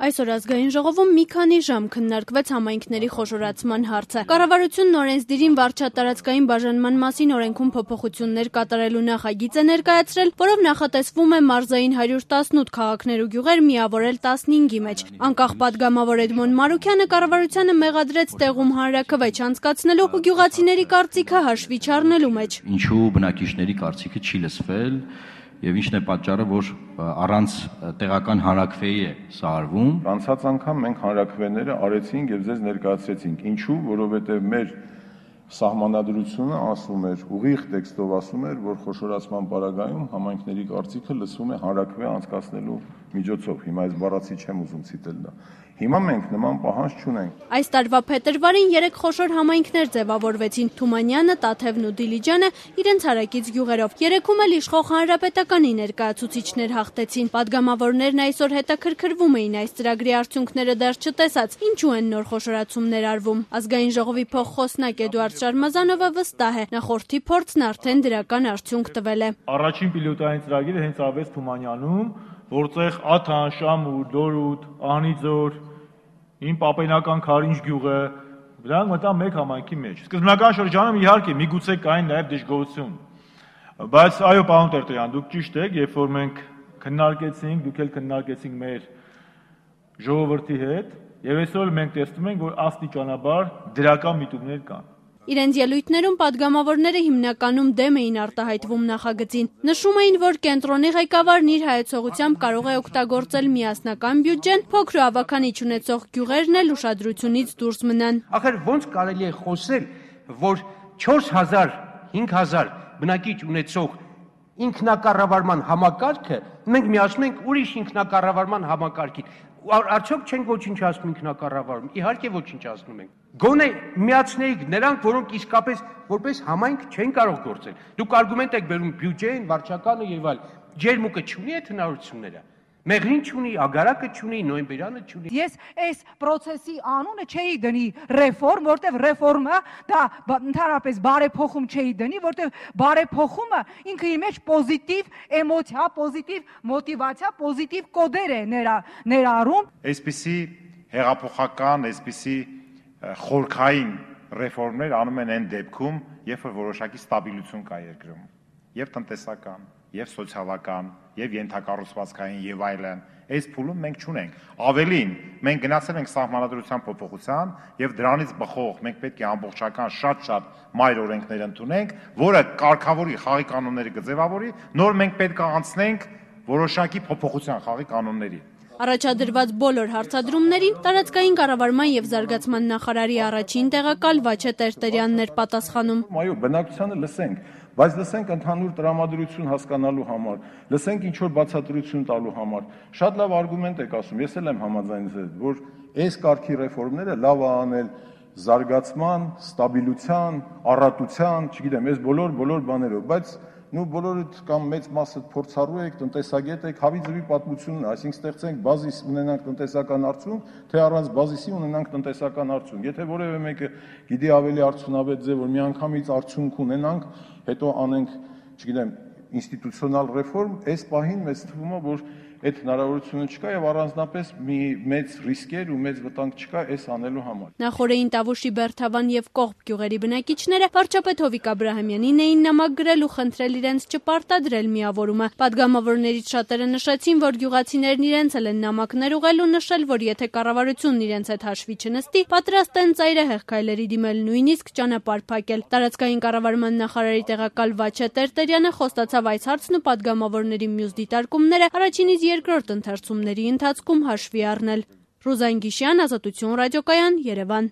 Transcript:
Այսօր ազգային ժողովում մի քանի ժամ քննարկվեց համայնքների խոշորացման հարցը։ Կառավարությունն օրենսդիրին վարչատարածքային բաժանման մասին օրենքում փոփոխություններ կատարելու նախագիծ է ներկայացրել, որով նախատեսվում է մարզային 118 քաղաքներ ու գյուղեր միավորել 15-ի մեջ։ Անկախ պատգամավոր Էդմոն Մարուքյանը կառավարությանը մեղադրեց տեղում հանրաքվեջ անցկացնելու ու գյուղացիների կարծիքը հաշվի չառնելու մեջ։ Ինչու բնակիչների կարծիքը չի լսվել եւ ինչն է պատճառը, որ առանց տեղական հանրաքվեի է սա արվում։ Անցած անգամ մենք հանրաքվեները արեցինք եւ ձեզ ներկայացրեցինք։ Ինչու՞, որովհետեւ մեր սահմանադրությունը ասում էր, ուղիղ տեքստով ասում էր, որ խոշորացման պարագայում համայնքների կարծիքը լսվում է հանրաքվե անցկացնելու միջոցով։ Հիմա այս բառացի չեմ ուզում ցիտել դա։ Հիմա մենք նման պահանջ չունենք։ Այս տարվա փետրվարին 3 խոշոր համայնքներ ձևավորվեցին՝ Թումանյանը, Տաթևն ու Դիլիջանը իրենց հարակից գյուղերով։ Երեքում էլ իշխող հանրապետականի ներկայացուցիչներ հաղթեցին։ Պատգամավորներն այսօր հետաքրքրվում էին այս ծրագրի արդյունքները դեռ չտեսած, ինչու են նոր խոշորացումներ արվում։ Ազգային ժողովի փոխխոսնակ Էդուարդ Շարմազանովը վստահ է, նախորդի փորձն արդեն դրական արդյունք տվել է։ Առաջին պիլոտային ծրագիրը հենց արվեց Թումանյանում, որտեղ Աթան, Շամուր, Դորուտ, Ահնիձոր, իմ պապենական Քարինջ գյուղը, դրանք մտան մեկ համայնքի մեջ։ Սկզբնական շրջանում իհարկե միգուցե կային նաև դժգոհություն։ Բայց այո, պարոն Տերտերյան, դուք ճիշտ եք, երբ որ մենք քննարկեցինք, դուք էլ քննարկեցինք մեր ժողովրդի հետ, եւ այսօր մենք տեսնում ենք, որ աստիճանաբար դրական միտումներ կան։ Իրենց ելույթներում պատգամավորները հիմնականում դեմ էին արտահայտվում նախագծին։ Նշում էին, որ կենտրոնի ղեկավարն իր հայեցողությամբ կարող է օգտագործել միասնական բյուջեն, փոքր ու ավականիչ ունեցող գյուղերն էլ ուշադրությունից դուրս մնան։ Ախր ոնց կարելի է խոսել, որ 4000, 5000 բնակիչ ունեցող ինքնակառավարման համակարգը մենք միացնում ենք ուրիշ ինքնակառավարման համակարգին։ Արդյոք չենք ոչնչացնում ինքնակառավարում։ Իհարկե ոչնչացնում ենք։ Գոնե միացնեիք նրանք, որոնք իսկապես որպես համայնք չեն կարող գործել։ Դուք արգումենտ եք բերում բյուջեն, վարչականը եւ այլ։ Ջերմուկը չունի այդ հնարավորությունները։ Մեղրին չունի, ագարակը չունի, նոյեմբերյանը չունի։ Ես այս process-ի անունը չէի դնի ռեֆորմ, որտեվ ռեֆորմը դա ընդհանրապես բարեփոխում չէի դնի, որտեվ բարեփոխումը ինքը իր մեջ պոզիտիվ էմոցիա, պոզիտիվ մոտիվացիա, պոզիտիվ կոդեր է ներառում։ Այսպիսի հեղափոխական, այսպիսի խորքային ռեֆորմներ անում են այն դեպքում, երբ որ որոշակի ստաբիլություն կա երկրում, եւ տնտեսական, եւ սոցիալական, եւ ենթակառուցվածքային եւ այլն։ Այս փուլում մենք չունենք։ Ավելին, մենք գնացել ենք սահմանադրության փոփոխության եւ դրանից բխող մենք պետք է ամբողջական շատ մայր օրենքներ ընդունենք, որը կարգավորի խաղի կանոնները կձևավորի, նոր մենք պետք է անցնենք որոշակի փոփոխության խաղի կանոնների։ Առաջադրված բոլոր հարցադրումներին տարածքային կառավարման եւ զարգացման նախարարի առաջին տեղակալ Վաչե Տերտերյանն էր պատասխանում։ Այո, բնակչությանը լսենք, բայց լսենք ընդհանուր տրամադրություն հասկանալու համար, լսենք ինչ որ բացատրություն տալու համար։ Շատ լավ արգումենտ եք ասում, ես էլ եմ համաձայն ձեզ, որ այս կարգի ռեֆորմները լավ է անել զարգացման, ստաբիլության, առատության, չգիտեմ, այս բոլոր բաներով, բայց բոլորդ կամ մեծ մասը փորձառու եք, տնտեսագետ եք, հավի ձվի պատմությունն է, այսինքն ստեղծենք բազիս ունենանք տնտեսական արդյունք, թե առանց բազիսի ունենանք տնտեսական արդյունք։ Եթե որևէ մեկը գիտի ավելի արդյունավետ ձև, որ միանգամից արդյունք ունենանք, հետո անենք, չգիտեմ, ինստիտուցիոնալ ռեֆորմ, այս պահին մեզ թվում է, որ այդ հնարավորությունը չկա եւ առանձնապես մի մեծ ռիսկեր ու մեծ վտանգ չկա այս անելու համար։ Նախորդին Տավուշի, Բերթավան եւ Կողբ գյուղերի բնակիչները վարչապետ Հովիկ Աբրահամյանին էին նամակ գրել ու խնդրել իրենց չպարտադրել միավորումը։ Պատգամավորներից շատերը նշեցին, որ գյուղացիներն իրենց էլ են նամակներ ուղղել ու նշել, որ եթե կառավարությունն իրենց հետ հաշվի չնստի, պատրաստ են ծայրահեղ քայլերի դիմել, նույնիսկ ճանապարհ փակել։ Տարածքային կառավարման նախարարի տեղակալ Վաչե Տերտերյանը խոստացավ այս հարցն ու պատգամավորների մյուս դիտարկումները առաջինից երկրորդ ընթերցումների ընթացքում հաշվի առնել։ Ռուզան Գիշյան, Ազատություն ռադիոկայան, Երևան։